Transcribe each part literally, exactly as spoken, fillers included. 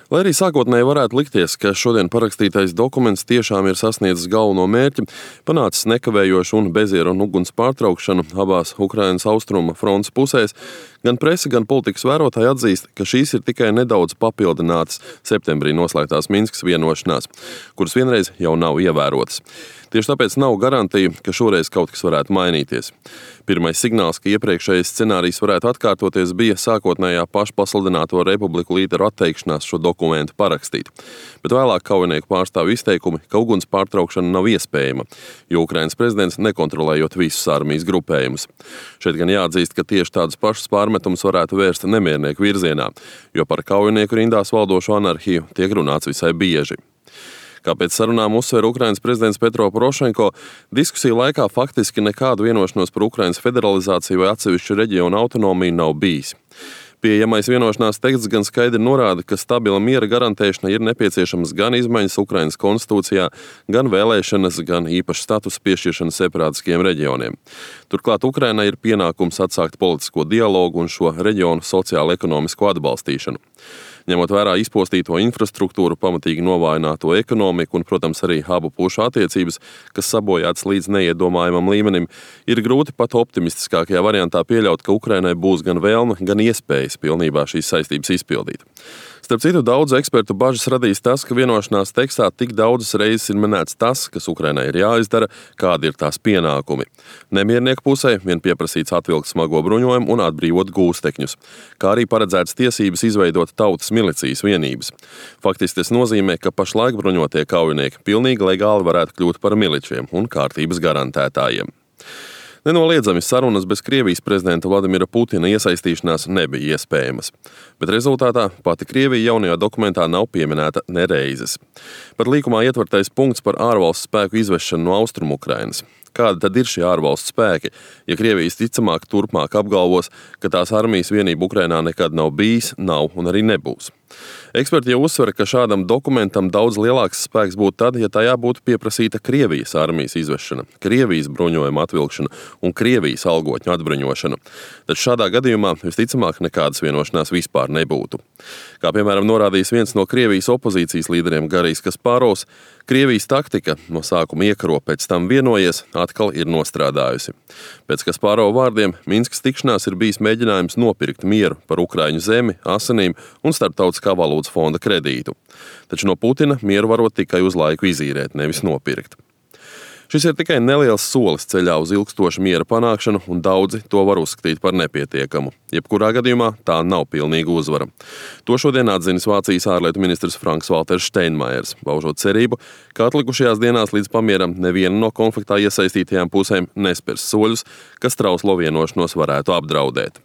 Lai arī sākotnēji varētu likties, ka šodien parakstītais dokuments tiešām ir sasniedzis galveno mērķi, panācis nekavējošu un bezieru un uguns pārtraukšanu abās Ukrainas austrumu frontes pusēs, gan prese, gan politikas vērotāji atzīst, ka šīs ir tikai nedaudz papildinātas septembrī noslēgtās Minskas vienošanās, kuras vienreiz jau nav ievērotas. Tieši tāpēc nav garantija, ka šoreiz kaut kas varētu mainīties. Pirmais signāls, ka iepriekšējais scenārijs varētu atkārtoties, bija sākotnējā pašpasludināto republiku līderu atteikšanās šo dokumentu parakstīt. Bet vēlāk kaujinieku pārstāvju izteikumi, ka uguns pārtraukšana nav iespējama, jo Ukrainas prezidents nekontrolējot visus armijas grupējumus. Šeit gan jāatzīst, ka tieši tādus pašus pārmetumus varētu vērst nemiernieku virzienā, jo par kaujinieku rindās valdošo anarhiju tiek runāts visai bieži. Kā pēc sarunām uzsver Ukrainas prezidents Petro Porošenko, diskusiju laikā faktiski nekādu vienošanos par Ukrainas federalizāciju vai atsevišķu reģionu autonomiju nav bijis. Pieejamais vienošanās teksts gan skaidri norāda, ka stabila miera garantēšana ir nepieciešamas gan izmaiņas Ukrainas konstitūcijā, gan vēlēšanas, gan īpašs status piešķiršana separātiskiem reģioniem. Turklāt Ukrainai ir pienākums atsākt politisko dialogu un šo reģionu sociālo-ekonomisko atbalstīšanu. Ņemot vērā izpostīto infrastruktūru, pamatīgi novājināto ekonomiku un, protams, arī abu pušu attiecības, kas sabojāts līdz neiedomājamam līmenim, ir grūti pat optimistiskākajā variantā pieļaut, ka Ukrainai būs gan vēlme, gan iespējas pilnībā šīs saistības izpildīt. Starp citu, daudzu ekspertu bažas radīs tas, ka vienošanās tekstā tik daudzas reizes ir minēts tas, kas Ukrainai ir jāizdara, kādi ir tās pienākumi. Nemiernieku pusē vien pieprasīts atvilkt smago bruņojumu un atbrīvot gūstekņus, kā arī paredzētas tiesības izveidot tautas milicijas vienības. Faktiski tas nozīmē, ka pašlaik bruņotie kaujinieki pilnīgi legāli varētu kļūt par miličiem un kārtības garantētājiem. Nenoliedzami sarunas bez Krievijas prezidenta Vladimira Putina iesaistīšanās nebija iespējamas, bet rezultātā pati Krievija jaunajā dokumentā nav pieminēta nereizes. Pat līkumā ietvertais punkts par ārvalstu spēku izvešanu no Austrumu Ukrainas. Kādi tad ir šie ārvalstu spēki, ja Krievijas ticamāk turpmāk apgalvos, ka tās armijas vienība Ukrainā nekad nav bijis, nav un arī nebūs? Eksperti jau uzsver, ka šādam dokumentam daudz lielāks spēks būtu tad, ja tajā būtu pieprasīta Krievijas armijas izvešana, Krievijas bruņojuma atvilkšana un Krievijas algotņu atbruņošana. Taču šādā gadījumā visticamāk nekādas vienošanās vispār nebūtu. Kā piemēram norādījis viens no Krievijas opozīcijas līderiem Garijs Kasparovs, Krievijas taktika no sākuma iekaro, pēc tam vienojies, atkal ir nostrādājusi. Pēc Kasparova vārdiem Minskas tikšanās ir bijis mēģinājums nopirkt mieru par Ukraiņu zemi, asinīm un starptautiskā valūtas fonda kredītu. Taču no Putina mieru varot tikai uz laiku izīrēt, nevis nopirkt. Šis ir tikai neliels solis ceļā uz ilgstošu miera panākšanu, un daudzi to var uzskatīt par nepietiekamu. Jebkurā gadījumā tā nav pilnīga uzvara. To šodien atzinis Vācijas ārlietu ministrs Franks Valters Steinmeiers, paužot cerību, ka atlikušajās dienās līdz pamieram neviena no konfliktā iesaistītajām pusēm nespers soļus, kas trauslo vienošanos varētu apdraudēt.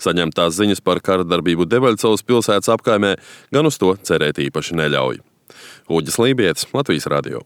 Saņemtās ziņas par kara darbību Debaļcovas pilsētas apkaimē gan uz to cerēt īpaši neļauj. Uģis Lībietis, Latvijas radio.